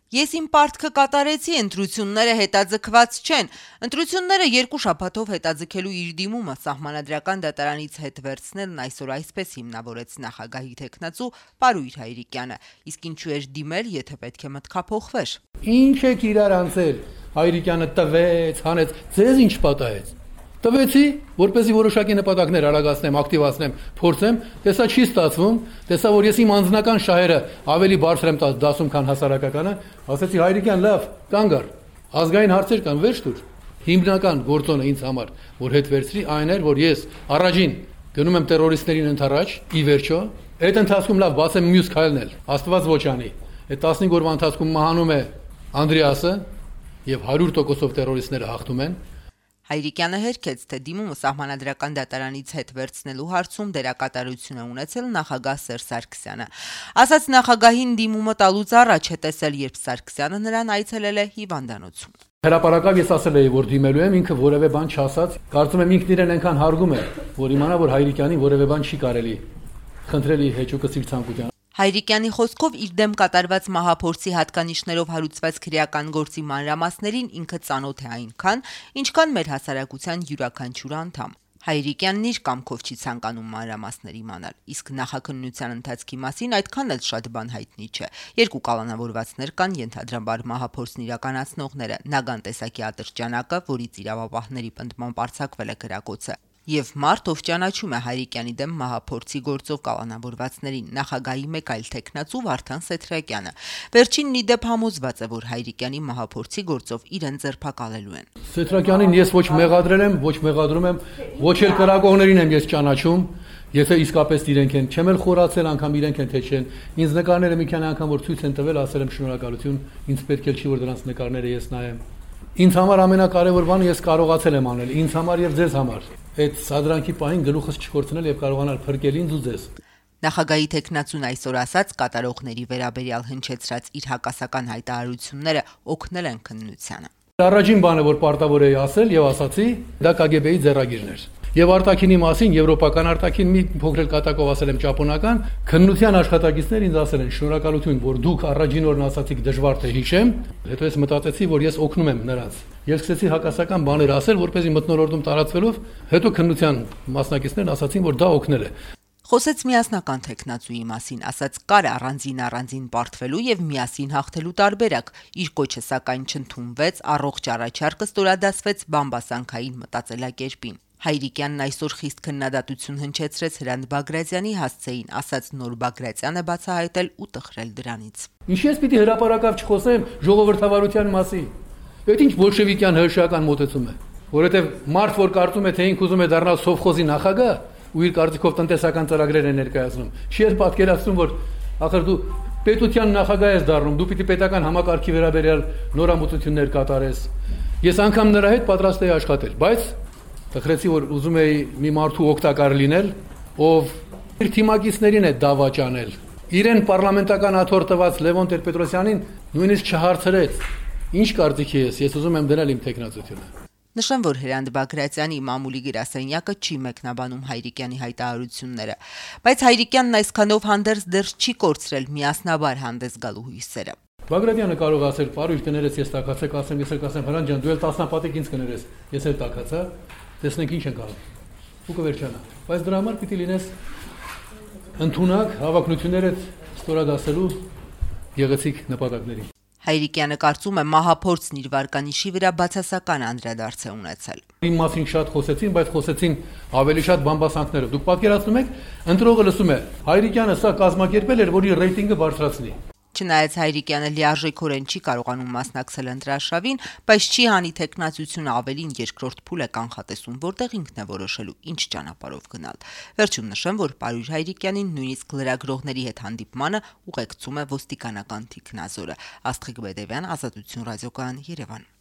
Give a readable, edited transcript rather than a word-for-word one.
Ես իմ պարտքը կատարեցի, ընտրությունները հետաձգված չեն։ Ընտրությունները 2 շաբաթով հետաձգելու իր դիմումը Սահմանադրական դատարանից հետ վերցնելն այսօր այսպես հիմնավորեց նախագահի թեկնածու Պարույր Հայրիկյանը։ Իսկ ինչու էր դիմել, եթե պետք է մտքափոխվեր։ Ինչ եք իրար անցել։ Հայրիկյանը տվեց, հանեց, ձեզ ինչ պատահեց։ Տվեցի, որպեսզի որոշակի նպատակներ արագացնեմ, ակտիվացնեմ, փորձեմ, տեսա չի ստացվում, տեսա որ ես իմ անձնական շահերը ավելի բարձր եմ դասում, քան հասարակականը, ասեցի Հայրիկյան, լավ, կանգ առ։ Ազգային հարցեր կան, վերջ տուր։ Հիմնական գործոնը ինձ համար, որ հետ վերցրի, այն էր, որ ես առաջին գնում եմ տերորիստներին ընդառաջ, ի վերջո, այդ ընթացքում լավ բացեմ մյուս քայլն էլ, Աստված ոչ անի։ Այդ 15 օրվա ընթացքում մահանում է Անդրեասը եւ 100%-ով տերորիստները հաղթում են։ Հայրիկյանը հերքեց, թե դիմումը Սահմանադրական դատարանից հետ վերցնելու հարցում դերակատարություն է ունեցել նախագահ Սերժ Սարգսյանը։ Ասաց նախագահին դիմումը տալուց առաջ է տեսել, երբ Սարգսյանը նրան այցելել է հիվանդանոցում։ Հրապարակավ ես ասել էի, որ դիմելու եմ, ինքը որևէ բան չասաց, կարծում եմ ինքն իրեն այնքան հարգում է, որ իմանա, որ Հայրիկյանին որևէ բան չի կարելի խնդրել իր հեճուկը իր ցանկության։ Հայրիկյանի խոսքով իր դեմ կատարված մահափորձի հատկանիշներով հարուցված քրեական գործի մանրամասներին ինքը ծանոթ է այնքան, ինչքան մեր հասարակության յուրաքանչյուր անդամ։ Հայրիկյանն իր կամքով չի ցանկանում մանրամասներ իմանալ, իսկ նախաքննության ընթացքի մասին այդքան էլ շատ բան հայտնի չէ։ 2 կալանավորվածներ կան, ենթադրաբար մահափորձն իրականացնողները, Նագան տեսակի ատրճանակը, որից իրավապահների պնդմամբ արձակվել է գրակոծը, եւ մարդ, ով ճանաչում է Հայրիկյանի դեմ մահափորձի գործով կալանավորվածներին, նախագահի մեկ այլ թեկնածու Վարդան Սեթրակյանը։ Վերջինն ի դեպ համոզված է, որ Հայրիկյանի մահափորձի գործով իրեն ձերբակալելու են։ Սեթրակյանին ես ոչ մեղադրել եմ, ոչ մեղադրում եմ, ոչ էլ կրակողներին եմ ես ճանաչում, եթե իսկապես իրենք են, չեմ էլ խորացել անգամ իրենք են թե չեն։ Ինձ նկարները մի քանի անգամ որ ցույց են տվել, ասել եմ շնորհակալություն, ինձ պետք է չի որ դրանց նկարները ես նայեմ։ Ինձ համար ամենակարևոր բանը ես կարողացել եմ անել, ինձ համար եւ ձեզ համար։ Այդ սադրանքի պահին գլուխս չկորցնել եւ կարողանալ փրկել ինձ ու ձեզ։ Նախագահի թեկնածուն այսօր ասաց, կատարողների վերաբերյալ հնչեցրած իր հակասական հայտարարությունները օգնել են քննությանը։ Առաջին բանը, որ պարտավոր էի ասել եւ ասացի, դա KGB-ի ձեռագիրն էր։ Եվ արտաքինի մասին, եվրոպական արտաքին մի փոքր կատակով ասել եմ ճապոնական, քննության աշխատակիցներ ինձ ասել են շնորհակալություն, որ դուք առաջին օրն ասացիք դժվար թե հիշեմ, հետո ես մտածեցի, որ ես օգնում եմ նրանց։ Ես սկսեցի հակասական բաներ ասել, որպեսզի մթնոլորտում տարածվելով, հետո քննության մասնակիցներն ասացին, որ դա օգնել է։ Խոսեց միասնական թեկնածուի մասին, ասաց կար առանձին պարտվելու եւ միասին հաղթելու տարբերակ։ Իր կոչը սակայն չընդունվեց, առողջ առաջարկը ստորադասվեց բամբասանքային մտածելակերպին։ Հայրիկյանն այսօր խիստ քննադատություն հնչեցրեց Հրանտ Բագրատյանի հասցեին, ասաց նոր Բագրատյանը բացահայտել ու տխրել դրանից։ Ինչ ես պիտի հրապարակավ չխոսեմ ժողովրդավարության մասին։ Այդ ինչ բոլշևիկյան հրշական մոտեցում է, որովհետեւ մարդ որ կարծում է թե ինքը ուզում է դառնալ սովխոզի նախագահ ու իր կարծիքով տնտեսական ծրագրեր է ներկայացնում, չի էլ պատկերացնում, որ ախր դու պետության նախագահ ես դառնում, դու պիտի պետական համակարգի վերաբերյալ նորամուծություններ կատարես։ Ես անգամ նրա հետ պատրաստ էի աշխատել, բայց տխրեցի, որ ուզում էի մի մարդու օգտակար լինել, ով իր թիմակիցներին է դավաճանել։ Իրեն պարլամենտական աթոռ տված Լևոն Տեր-Պետրոսյանին նույնիսկ չհարցրեց։ Ինչ կարծիքի ես ուզում եմ դնել իմ տեխնացությունը։ Նշեմ, որ Հրանտ Բագրատյանի մամուլի գրասենյակը չի մեկնաբանում Հայրիկյանի հայտարարությունները, բայց Հայրիկյանն այսքանով հանդերձ դեռ չի կորցրել միասնաբար հանդես գալու հույսերը։ Բագրատյանը կարող ասել, պարույր կներես, ես տակացեք, ասեմ, ես էլ կասեմ, Հրանտ ջան, դու էլ տասնապատիկ ինձ կներես, ես էլ տակացա, տեսնենք ինչ ենք անում։ Ու կվերջանա։ Բայց դրա համար պիտի լինես ընդունակ հավակնություններդ ստորադասելու գեղեցիկ նպատակների։ Հայրիկյանը կարծում է մահափորձն իր վարկանիշի վրա բացասական անդրադարձ է ունեցել։ Իմ մասին շատ խոսեցին, բայց խոսեցին ավելի շատ բամբասանքներով։ Դուք պատկերացնում եք, ընտրողը լսում է, Հայրիկյանը սա կազմակերպել էր, որ իր ռեյտինգը բարձրացնի։ Չնայած Հայրիկյանը լիարժեքորեն չի կարողանում մասնակցել ընտրարշավին, բայց չի հանի թեկնածությունը ավելին երկրորդ փուլ է կանխատեսում, որտեղ ինքն է որոշելու ինչ ճանապարհով գնալ։ Վերջում նշեմ, որ Պարույր Հայրիկյանին նույնիսկ լրագրողների հետ հանդիպմանը ուղեկցում է ոստիկանական թիկնազորը։ Աստղիկ Բեդևյան, Ազատություն ռադիոկայան, Երևան։